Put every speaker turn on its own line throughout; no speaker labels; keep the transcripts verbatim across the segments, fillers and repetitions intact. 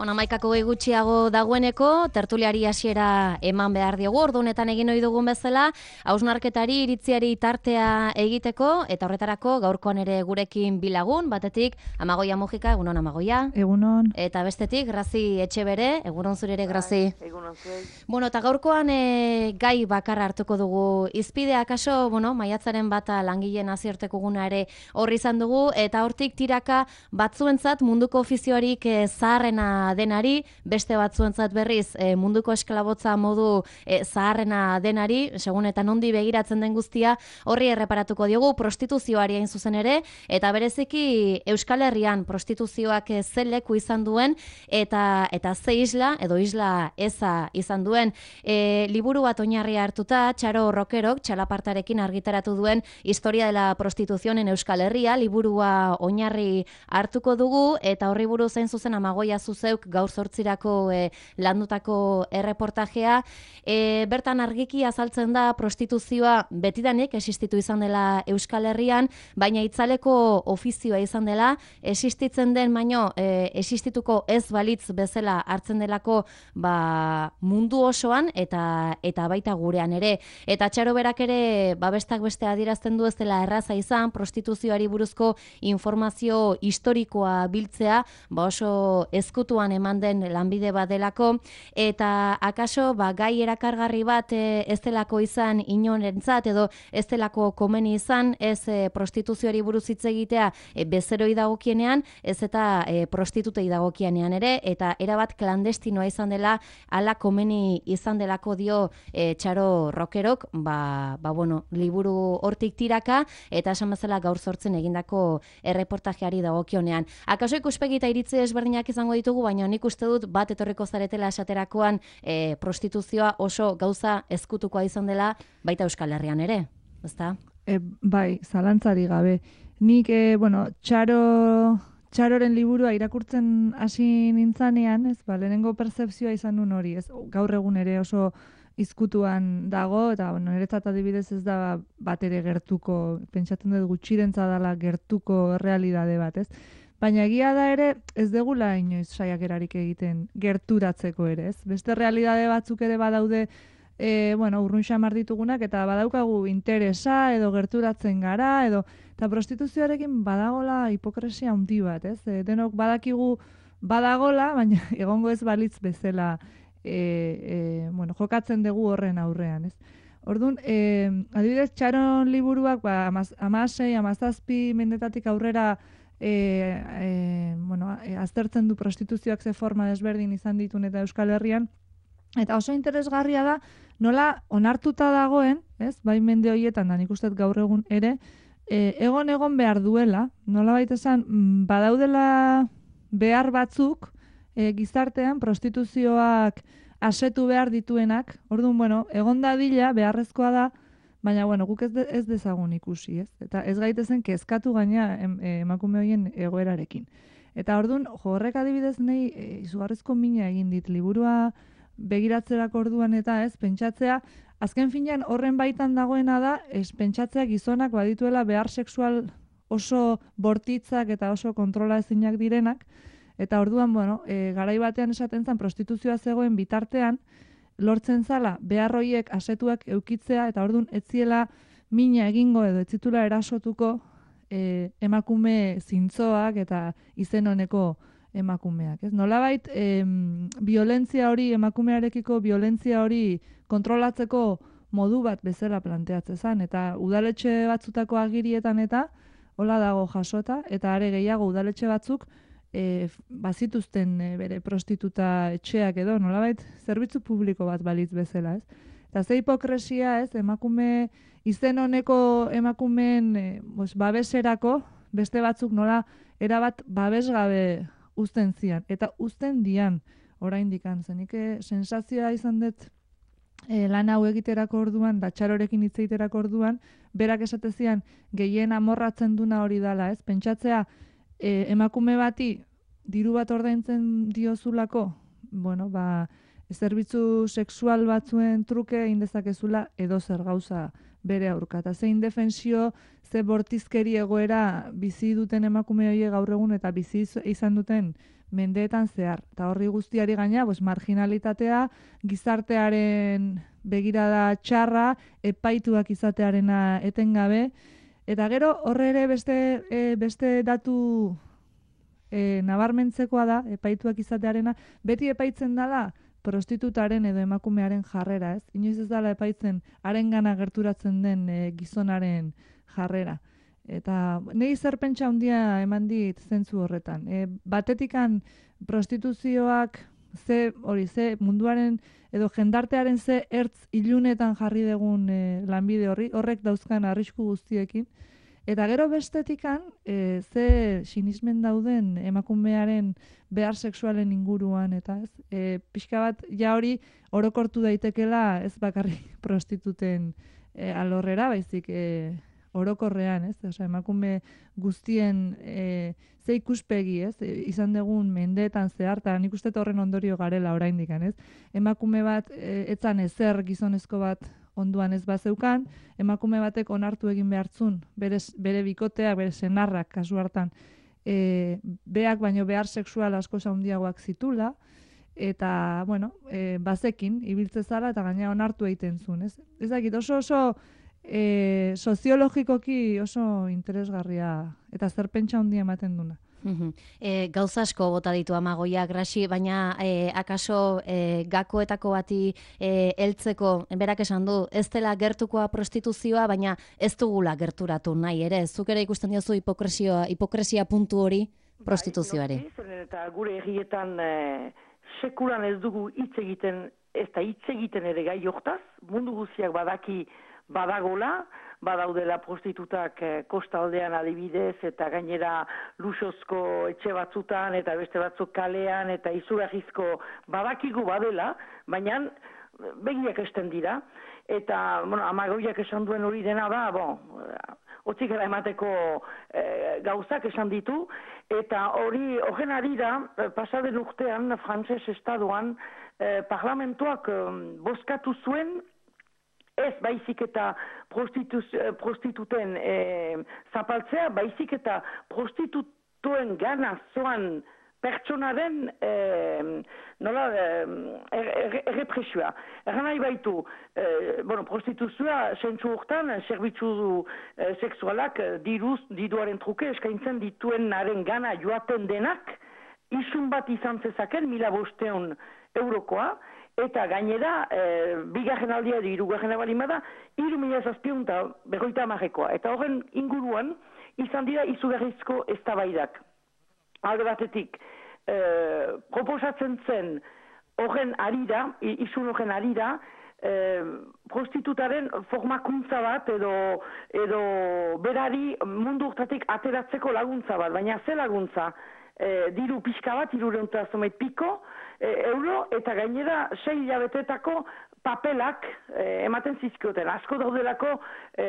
Bueno, amaikako gehi gutxiago dagoeneko, tertuliari hasiera eman behar diogu, ordu honetan egin ohi dugun bezala, hausnarketari iritziari tartea egiteko, eta horretarako gaurkoan ere gurekin bilagun, batetik Amagoia Mujika, egunon Amagoia.
Egunon.
Eta bestetik, Grazi Etxebere, egunon zure ere, Grazi.
Egunon zuei.
Bueno, eta gaurkoan e, gai bakarra hartuko dugu. Izpidea kaso, bueno, maiatzaren bata langileen nazioarteko eguna ere horri izan dugu, eta hortik tiraka batzuentzat munduko ofizioarik e, zaharrena denari, beste batzuentzat berriz e, munduko esklabotza modu e, zaharrena denari, segun eta nondi begiratzen den guztia, horri erreparatuko diogu prostituzioari hain zuzen ere, eta bereziki Euskal Herrian prostituzioak e, ze leku izan duen, eta eta ze isla, edo isla eza izan duen. E, liburu bat oinarri hartuta, Txaro Rokerok, txalapartarekin argitaratu duen Historia de la Prostitución en Euskal Herria, liburua oinarri hartuko dugu, eta horri buruz hain zuzen Amagoia zuzeuk gaur zortzirako e, landutako erreportajea. E, bertan argiki azaltzen da prostituzioa betidanik existitu izan dela Euskal Herrian, baina itzaleko ofizioa izan dela, existitzen den baino e, existituko ez balitz bezala hartzen delako ba, mundu osoan eta eta baita gurean ere. Eta Txaro berak ere babestak beste adierazten du ez dela erraza izan prostituzioari buruzko informazio historikoa biltzea, ba oso ezkutuan eman den lanbide bat delako, eta akaso ba, gai erakargarri bat e, ez delako izan inorentzat edo ez delako komeni izan, ez e, prostituzioari buruz hitz egitea e, bezeroi dagokienean, ez eta e, prostitutei dagokienean ere, eta erabat klandestinoa izan dela, ala komeni izan delako dio e, Txaro Rokerok, ba, ba bueno, liburu hortik tiraka, eta esan bezala gaur sortzen egindako erreportajeari dagokionean. Akaso ikuspegi eta iritzi ezberdinak izango ditugu, baina nik uste dut bat etorriko zaretela esaterakoan e, prostituzioa oso gauza ezkutukoa izan dela baita Euskal Herrian ere, ezta?
E, bai, zalantzari gabe. Nik, e, bueno, Txaro, Txaroren liburua irakurtzen hasi nintzanean, ez, ba, lehenengo pertzepzioa izan nun hori, ez, gaur egun ere oso izkutuan dago, eta bueno, niretzat adibidez ez da bat ere gertuko, pentsatzen dut gutxirentza dela gertuko realidade bat, ez? Baina egia da ere, ez degula inoiz saiakerarik egiten gerturatzeko ere, ez? Beste realidade batzuk ere badaude, e, bueno, urrun xamar ditugunak, eta badaukagu interesa, edo gerturatzen gara, edo, eta prostituzioarekin badagola hipokresia handi bat, ez? E, denok badakigu badagola, baina egongo ez balitz bezala, e, e, bueno, jokatzen dugu horren aurrean, ez? Orduan, e, adibidez, Txaron liburuak, ba, amasei, amazazpi mendetatik aurrera, E, e, bueno, e, aztertzen du prostituzioak ze forma desberdin izan ditun eta Euskal Herrian, eta oso interesgarria da nola onartuta dagoen, ez, bai mende horietan da nik uste gaur egun ere, e, egon egon behar duela, nola baita esan, badaudela behar batzuk e, gizartean prostituzioak asetu behar dituenak, orduan, bueno, egon dadila beharrezkoa da, baina, bueno, guk ez, de, ez dezagun ikusi, ez? Eta ez gaitezen kezkatu gaina em, emakume horien egoerarekin. Eta orduan, jo, horrek adibidez nahi e, izugarrizko mina egin dit liburua begiratzerako orduan eta ez, pentsatzea, azken finean horren baitan dagoena da, ez pentsatzea gizonak badituela behar sexual oso bortitzak eta oso kontrola ezinak direnak, eta orduan, bueno, e, garai batean esaten zen prostituzioa zegoen bitartean, lortzen zala, behar horiek asetuak eukitzea, eta orduan etziela mina egingo edo etzitula erasotuko e, emakume zintzoak eta izen honeko emakumeak. Ez? Nolabait, em, violentzia hori, emakumearekiko violentzia hori kontrolatzeko modu bat bezala planteatzen zen, eta udaletxe batzutako agirietan eta hola dago jasota, eta are gehiago udaletxe batzuk E, bazituzten e, bere prostituta etxeak edo, nolabait, zerbitzu publiko bat balitz bezala, ez? Eta ze hipokresia, ez, emakume, izen honeko emakumeen e, bos, babeserako, beste batzuk nola erabat babesgabe uzten zian, eta uzten dian oraindik zenik sensazioa izan dut e, lan hau egiterako orduan, da Txarorekin hitz egiterako orduan, berak esate zian gehien amorratzen duna hori dala, ez? Pentsatzea, E, emakume bati diru bat ordaintzen diozulako, bueno, ba, zerbitzu sexual batzuen truke indezakezula edo zer gauza bere aurka. Eta ze indefensio, ze bortizkeri egoera bizi duten emakume horiek gaur egun eta bizi izan duten mendeetan zehar. Eta horri guztiari gaina, pues, marginalitatea, gizartearen begirada txarra, epaituak izatearena etengabe. Eta gero horre ere beste, e, beste datu e, nabarmentzekoa da, epaituak izatearena, beti epaitzen dala prostitutaren edo emakumearen jarrera, ez? Inoiz ez dala epaitzen harengana gerturatzen den e, gizonaren jarrera. Eta nahi zer pentsa handia eman dit zentzu horretan. E, batetikan prostituzioak ze hori ze munduaren edo jendartearen ze ertz ilunetan jarri dugun e, lanbide horri, horrek dauzkan arrisku guztiekin. Eta gero bestetikan e, ze sinismen dauden emakumearen behar sexualen inguruan, eta ez, e, pixka bat ja hori orokortu daitekela ez bakarrik prostituten e, alorrera, baizik e, orokorrean, ez? Osea, emakume guztien e, ze ikuspegi, ez? E, izan dugun mendeetan zeharta, nik uste horren ondorio garela oraindik, ez? Emakume bat e, etzan ezer gizonezko bat onduan ez bazeukan, emakume batek onartu egin behartzun, bere, bere bikoteak, bere senarrak kasu hartan, e, beak baino behar sexual asko handiagoak zitula, eta, bueno, e, bazekin, ibiltze zara eta gaina onartu egiten zuen, ez? Ez dakit, oso oso E, soziologikoki oso interesgarria eta zer pentsa handia ematen duna.
E, gauza asko bota ditu Amagoia Grasi, baina e, akaso e, gakoetako bati e, heltzeko berak esan du, ez dela gertukoa prostituzioa, baina ez dugula gerturatu nahi ere. Zuk ere ikusten diozu hipokresia, hipokresia puntu hori prostituzioari.
Bai, eta gure egietan e, sekulan ez dugu hitz egiten, ez da hitz egiten ere gai hortaz, mundu guztiak badaki badagola, badaudela prostitutak eh, kostaldean adibidez, eta gainera luxozko etxe batzutan, eta beste batzuk kalean, eta izugarrizko badakigu badela, baina begiak esten dira. Eta, bueno, Amagoiak esan duen hori dena da, bon, otzik gara emateko eh, gauzak esan ditu, eta hori, horren arira, pasaden urtean, frantses estadoan, eh, parlamentuak eh, bozkatu zuen, ez baizik eta prostituten e, zapaltzea, baizik eta prostitutuen gana zoan pertsonaren e, nola errepresioa. Er, Erran nahi baitu, e, bueno, prostituzioa sentzu urtan, zerbitzu e, sexualak diruz, diduaren truke eskaintzen dituen naren gana joaten denak, isun bat izan zezaken, mila bosteun eurokoa, eta gainera, e, bigarren aldia edo hirugarren balima da, hiru mila zazpiehun eta berrogeita hamarekoa. Eta horren inguruan, izan dira izugarrizko eztabaidak. Alde batetik, e, proposatzen zen horren arira, isun horren arira, e, prostitutaren formakuntza bat edo, edo berari mundu urtatik ateratzeko laguntza bat, baina ze laguntza? E, diru pixka bat, irureunta zomeit piko, e, euro, eta gainera sei hilabetetako papelak e, ematen zizkioten. Asko daudelako e,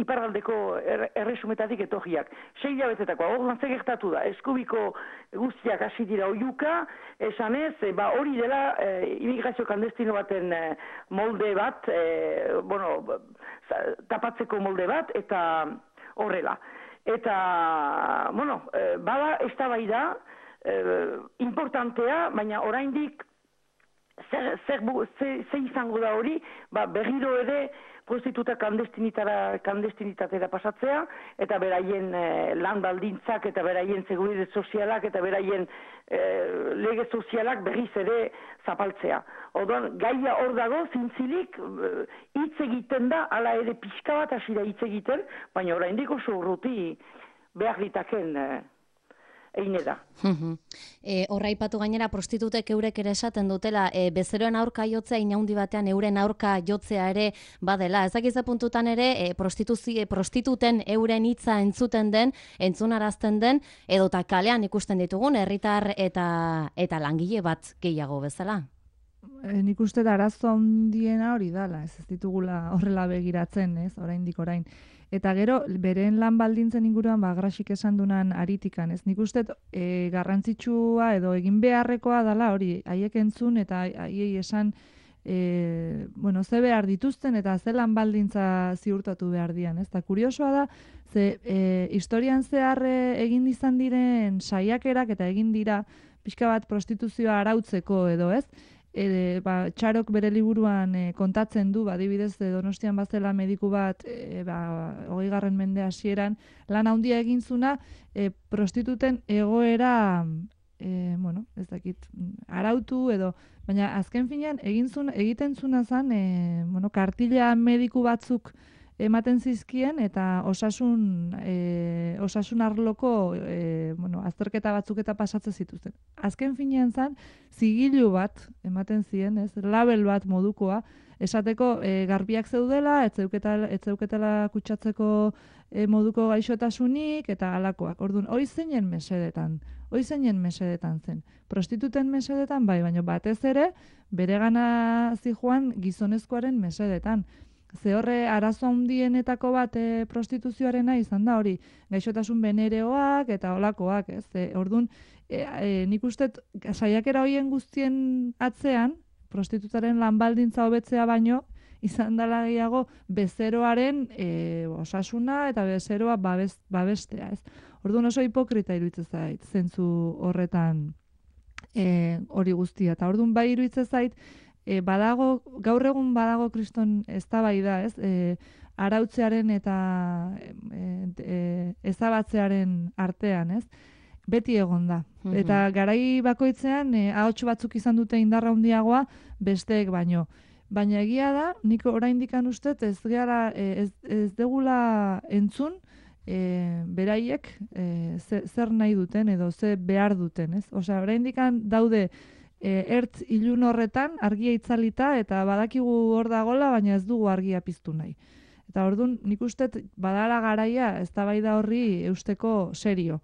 iparraldeko er, erresumetatik etorriak. Sei hilabetetako, hor ze gertatu da, eskubiko guztiak hasi dira oiuka, esanez, e, ba, hori dela e, immigrazio klandestino baten e, molde bat, e, bueno, tapatzeko molde bat, eta horrela. Eta, bueno, e, bada eztabaida e, importantea, baina oraindik zer, zer, zer, zer izango da hori, ba, berriro ere prostituta klandestinitatera pasatzea, eta beraien e, lan baldintzak, eta beraien seguridade sozialak, eta beraien e, lege sozialak berriz ere zapaltzea. Orduan, gaia hor dago, zintzilik, hitz egiten da, ala ere pixka bat hasi da hitz egiten, baina oraindik oso urruti behar ditaken e, eine da.
E, horra ipatu gainera prostitutek eurek ere esaten dutela, e, bezeroen aurka jotzea inaundi batean euren aurka jotzea ere badela. Ezakize puntutan ere e, prostituten euren hitza entzuten den, entzunarazten den, edota kalean ikusten ditugun herritar eta eta langile bat gehiago bezala.
E, nik uste da arazo handiena hori dala, ez ez ditugula horrela begiratzen, ez, oraindik orain. Eta gero, beren lan baldintzen inguruan, ba, Grasik esan dunan aritikan, ez? Nik uste e, garrantzitsua edo egin beharrekoa dala hori, haiek entzun eta haiei esan e, bueno, ze behar dituzten eta ze lan baldintza ziurtatu behar dian, ez? Eta kuriosoa da, ze e, historian zehar egin izan diren saiakerak eta egin dira pixka bat prostituzioa arautzeko edo, ez? E, ba, Txarok bere liburuan e, kontatzen du, ba, adibidez Donostian bazela mediku bat e, ba, hogeigarren mende hasieran lan handia egin zuna e, prostituten egoera e, bueno, ez dakit, arautu edo, baina azken finean egin zuna, egiten zuna zen e, bueno, kartila mediku batzuk ematen zizkien eta osasun e, osasun arloko e, bueno, azterketa batzuk eta pasatzen zituzten. Azken finean zen, zigilu bat ematen zien, ez, label bat modukoa, esateko e, garbiak zeudela, ez zeuketela, ez zeuketela kutsatzeko e, moduko gaixotasunik eta halakoak. Orduan, hoi zeinen mesedetan, hoi zeinen mesedetan zen. Prostituten mesedetan bai, baina batez ere, bere gana zijoan gizonezkoaren mesedetan. Ze horre arazo handienetako bat e, prostituzioarena izan da hori, gaixotasun benereoak eta olakoak, ez? E, orduan, e, e, nik uste saiakera horien guztien atzean, prostitutaren lanbaldintza hobetzea baino, izan dela gehiago bezeroaren e, osasuna eta bezeroa babes, babestea, ez? Orduan oso hipokrita iruditzen zait, zentzu horretan e, hori guztia. Eta orduan bai iruditzen zait, E, badago, gaur egun badago kriston eztabaida, ez? E, arautzearen eta e, e, ezabatzearen artean, ez? Beti egon da. Mm-hmm. Eta garai bakoitzean e, ahots batzuk izan dute indarra handiagoa besteek baino. Baina egia da, nik oraindikan ustez ez gara e, ez, ez degula entzun e, beraiek e, ze, zer nahi duten edo ze behar duten, ez? Osea, oraindikan daude E, ertz ilun horretan argia itzalita eta badakigu hor dagola, baina ez dugu argia piztu nahi. Eta orduan nik uste badala garaia eztabaida horri eusteko serio.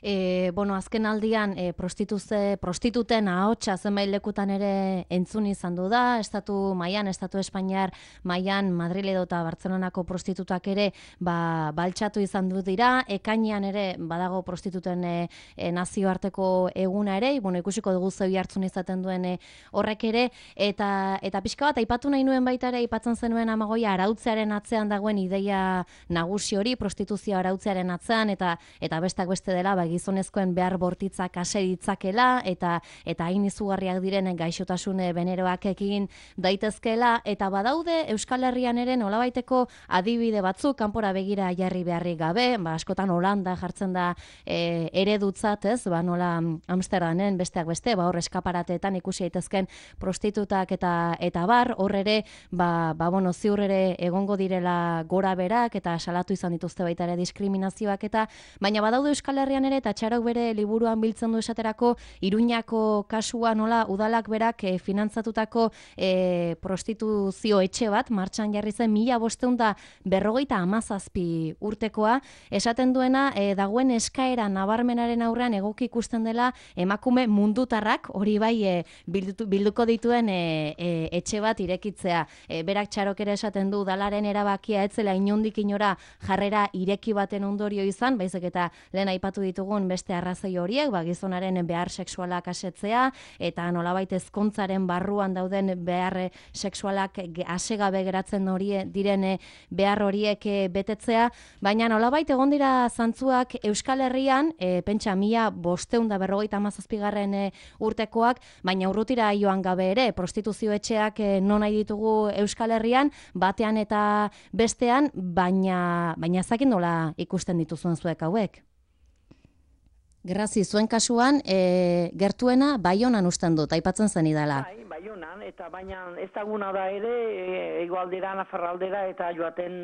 E, bueno, azken aldian e, prostituze, prostituten ahotsa zenbait lekutan ere entzun izan du da, estatu mailan, estatu Espainiar mailan, Madrid edo eta Bartzelonako prostitutak ere ba, baltsatu izan du dira, ekainean ere badago prostituten e, e, nazioarteko eguna ere, bueno, ikusiko dugu zeu hartzun izaten duen e, horrek ere, eta eta pixka bat aipatu nahi nuen baita ere, aipatzen zenuen Amagoia arautzearen atzean dagoen ideia nagusi hori, prostituzio arautzearen atzean, eta eta beste beste dela, ba, gizonezkoen behar bortitzak ase ditzakela eta eta hain izugarriak diren gaixotasun beneroak egin daitezkeela, eta badaude Euskal Herrian ere nolabaiteko adibide batzuk kanpora begira jarri beharrik gabe, ba, askotan Holanda jartzen da e, eredutzat, ez, ba, nola Amsterdamen besteak beste, ba, hor eskaparateetan ikusi daitezken prostitutak eta eta bar, hor ere, ba, ba, bueno, ziur ere egongo direla gora berak eta salatu izan dituzte baita ere diskriminazioak eta, baina badaude Euskal Herrian ere, eta Txarok bere liburuan biltzen du esaterako, Iruñako kasua nola udalak berak e, finantzatutako e, prostituzio etxe bat, martxan jarri zen mila bosteun da berrogeita hamazazpi urtekoa, esaten duena e, dagoen eskaera nabarmenaren aurrean egoki ikusten dela emakume mundutarrak, hori bai e, bildu, bilduko dituen e, e, etxe bat irekitzea. E, berak Txarok ere esaten du udalaren erabakia etzela inondik inora jarrera ireki baten ondorio izan, baizik eta lehen aipatu ditugun beste arrazoi horiek, ba, gizonaren behar sexualak asetzea, eta nolabait ezkontzaren barruan dauden behar sexualak asegabe geratzen horie diren behar horiek betetzea, baina nolabait egon dira zantzuak Euskal Herrian, e, pentsa mila bosteun da berrogeita hamazazpigarren e, urtekoak, baina urrutira joan gabe ere, prostituzio etxeak e, non nahi ditugu Euskal Herrian, batean eta bestean, baina, baina zakin nola ikusten dituzuen zuek hauek. Grazi, zuen kasuan, e, gertuena Baionan usten dut, aipatzen zen idala.
Bai, Baionan, eta baina ezaguna da ere, e, egoaldera, nafarraldera, eta joaten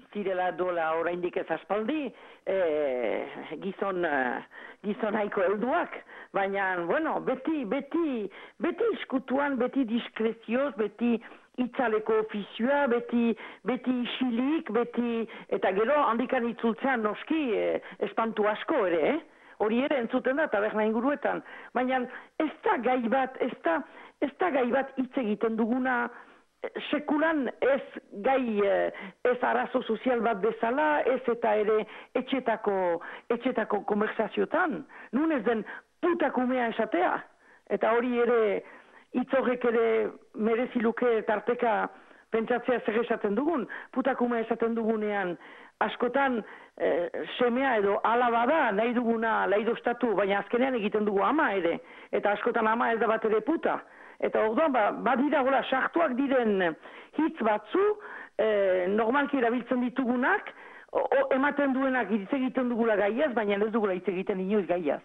zirela dola oraindik ez aspaldi, e, gizon, gizon haiko helduak, baina, bueno, beti, beti, beti iskutuan, beti diskrezioz, beti itzaleko ofizioa, beti, beti isilik, beti, eta gero handikan itzultzean noski e, espantu asko ere, eh? Hori ere entzuten da, taberna inguruetan. Baina ez da gai bat, ez da, ez da gai bat hitz egiten duguna sekulan ez gai, ez arazo sozial bat bezala, ez eta ere etxetako, etxetako konversaziotan, nun ez den putakumea esatea, eta hori ere itzorrek ere mereziluke tarteka pentsatzea zer esaten dugun, putakumea esaten dugunean, askotan eh, semea edo alaba da, nahi duguna laidostatu, baina azkenean egiten dugu ama ere, eta askotan ama ez da bat ere puta. Eta orduan, ba, badira gola, sartuak diren hitz batzu, eh, normalki erabiltzen ditugunak, o, o, ematen duenak hitz egiten dugula gaiaz, baina ez dugula hitz egiten inoiz gaiaz.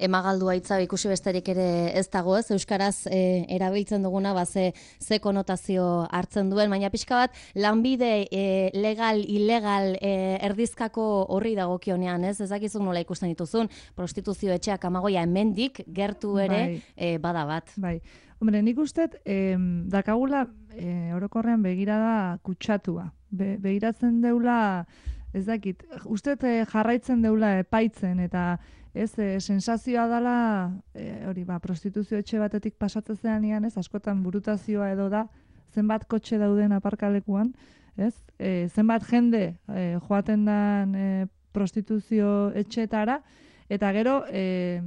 Emagaldua hitza ikusi besterik ere ez dago, ez? Euskaraz e, erabiltzen duguna ba ze, ze konotazio hartzen duen, baina pixka bat lanbide e, legal, ilegal e, erdizkako horri dagokionean, ez? Ez dakizun nola ikusten dituzun, prostituzio etxeak amagoia hemendik gertu ere bai. e, bada bat.
Bai. Hombre, nik ustet, eh, dakagula eh, orokorrean begirada kutsatua. Be, begiratzen deula, ez dakit, ustet eh, jarraitzen deula epaitzen, eta ez, e, sensazioa dela, e, hori, ba, prostituzio etxe batetik pasatzen zean ez, askotan burutazioa edo da, zenbat kotxe dauden aparkalekuan, ez, e, zenbat jende e, joaten dan e, prostituzio etxetara, eta gero, e,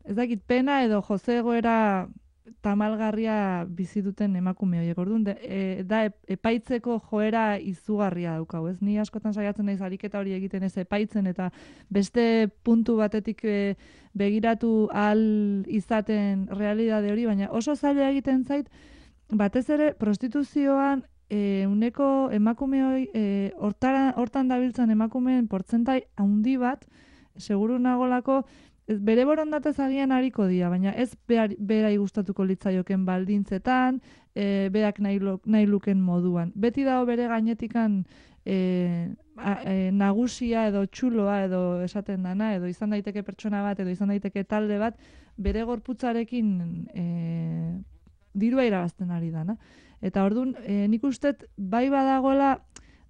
ez dakit, pena edo jozegoera tamalgarria bizi duten emakume horiek. Orduan, e, da epaitzeko joera izugarria daukau, ez? Ni askotan saiatzen naiz ariketa hori egiten ez epaitzen, eta beste puntu batetik e, begiratu ahal izaten realidade hori, baina oso zaila egiten zait, batez ere prostituzioan e, uneko emakume hori, e, hortara, hortan dabiltzan emakumeen portzentai handi bat, seguru nagolako, bere borondatez agian hariko dira, baina ez berai gustatuko litzaioken baldintzetan, e, berak nahi, nahi luken moduan. Beti dago bere gainetikan e, a, e, nagusia edo txuloa edo esaten dana, edo izan daiteke pertsona bat, edo izan daiteke talde bat, bere gorputzarekin e, dirua irabazten ari dana. Eta orduan, e, nik ustet bai badagoela,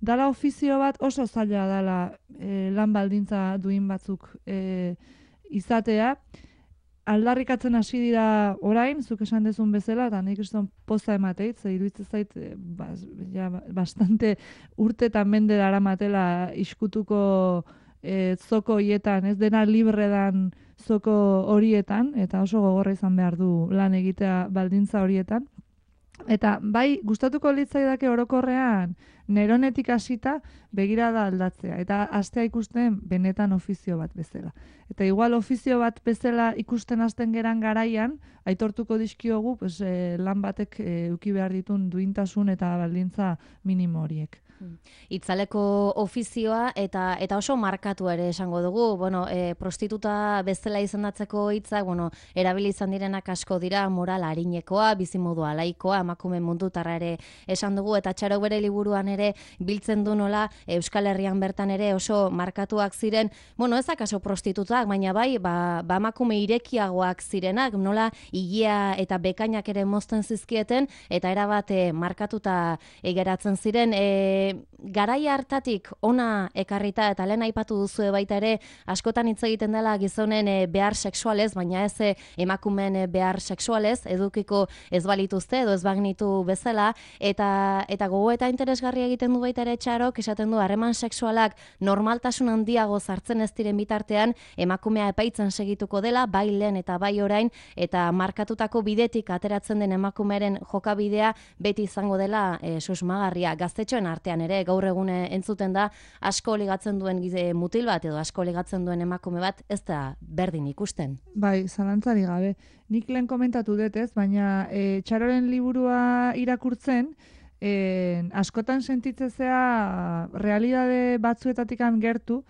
dala ofizio bat oso zaila dala e, lan baldintza duin batzuk e, izatea, aldarrikatzen hasi dira orain, zuk esan dezun bezala, eta nik kriston poza emateit, ze iruditzen zait, bas, ja, bastante urte eta mende daramatela iskutuko e, zoko hietan, ez dena libre dan zoko horietan, eta oso gogorra izan behar du lan egitea baldintza horietan. Eta bai, gustatuko litzaidake orokorrean neronetik hasita begirada aldatzea. Eta hastea ikusten benetan ofizio bat bezala. Eta igual ofizio bat bezala ikusten hasten geran garaian, aitortuko dizkiogu pues, eh, lan batek eh, eduki behar ditun duintasun eta baldintza minimo horiek.
Itzaleko ofizioa eta eta oso markatu ere esango dugu, bueno, e, prostituta bezala izendatzeko hitzak, bueno, erabili izan direnak asko dira, moral arinekoa, bizimodua laikoa, emakume mundutarra ere esan dugu, eta Txaro bere liburuan ere biltzen du nola Euskal Herrian bertan ere oso markatuak ziren, bueno, ez akaso prostitutak, baina bai, ba, ba emakume irekiagoak zirenak, nola higia eta bekainak ere mozten zizkieten, eta erabat e, markatuta egeratzen ziren, e, garai hartatik ona ekarrita, eta lehen aipatu duzue baita ere, askotan hitz egiten dela gizonen e, behar sexualez, baina ez e, emakumeen e, behar sexualez, edukiko ez balituzte edo ez bagnitu bezala, eta eta gogo eta interesgarria egiten du baita ere Txarok, esaten du harreman sexualak normaltasun handiago sartzen ez diren bitartean, emakumea epaitzen segituko dela, bai lehen eta bai orain, eta markatutako bidetik ateratzen den emakumearen jokabidea beti izango dela e, susmagarria. Gaztetxoen artean ere gaur egune entzuten da asko ligatzen duen gize mutil bat edo asko ligatzen duen emakume bat ez da berdin ikusten.
Bai, zalantzari gabe. Nik lehen komentatu dut ez, baina e, Txaroren liburua irakurtzen, e, askotan sentitzezea realidade batzuetatikan gertu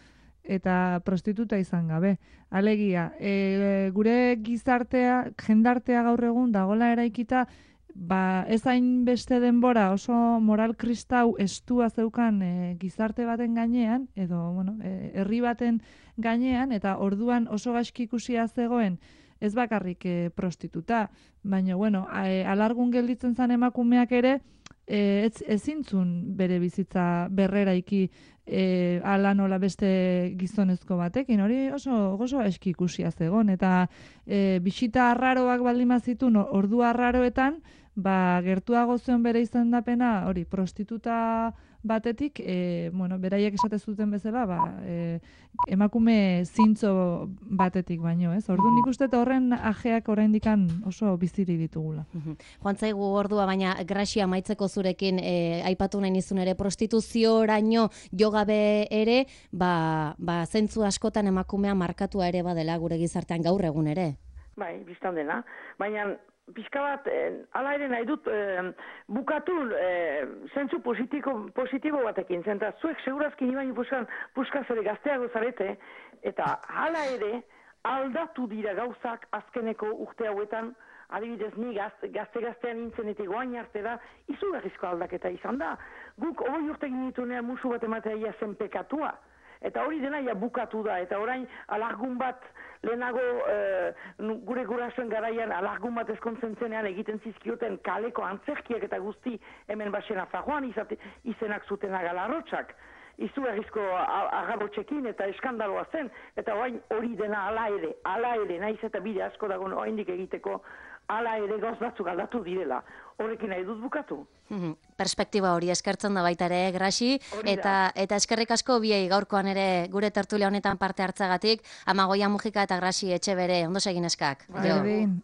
eta prostituta izan gabe. Alegia, e, gure gizartea, jendartea gaur egun dagoela eraikita, ba, ez hain beste denbora oso moral kristau estua zeukan e, gizarte baten gainean, edo, bueno, e, herri baten gainean, eta orduan oso gaizki ikusia zegoen, ez bakarrik e, prostituta, baina, bueno, e, alargun gelditzen zan emakumeak ere, e, ez, ezintzun bere bizitza berreraiki e, ala nola beste gizonezko batekin, hori oso, oso gaizki ikusia zegoen, eta e, bisita arraroak baldin bazitun, ordu arraroetan, ba, gertuago zuen bere izendapena, hori, prostituta batetik, e, bueno, beraiek esate zuten bezala, ba, e, emakume zintzo batetik baino, ez? Orduan nik uste horren ajeak oraindikan oso biziri ditugula.
Joan zaigu ordua, baina Graxia amaitzeko zurekin e, aipatu nahi nizun ere prostituzioraino jo gabe ere, ba, ba zentzu askotan emakumea markatua ere badela gure gizartean gaur egun ere.
Bai, biztan dena. Baina pixka bat, eh, ala ere nahi dut, eh, bukatu eh, zentzu positibo, positibo batekin, zenta zuek segurazki nibaino puskan, puskaz ere gazteago zarete, eta hala ere aldatu dira gauzak azkeneko urte hauetan, adibidez ni gazte-gaztean nintzen eta goain arte da, izugarrizko aldaketa izan da. Guk hori urte ginitunean musu bat ematea ia zen pekatua. Eta hori dena ja bukatu da, eta orain alargun bat lehenago e, gure gurasoen garaian alargun bat eskontzen zenean egiten zizkioten kaleko antzerkiak eta guzti hemen basena fajoan izate, izenak zuten agalarrotxak. Izugarrizko agarrotxekin eta eskandaloa zen, eta orain hori dena ala ere, ala ere, naiz eta bide asko dago oraindik egiteko, ala ere gauz batzuk aldatu direla. Horrekin nahi dut bukatu.
Perspektiba hori eskertzen da baita ere, Graxi, eta, eta eskerrik asko biei gaurkoan ere gure tertulia honetan parte hartzagatik, Amagoia Mujika eta Graxi Etxebere, ondo segin eskak.
Berdin,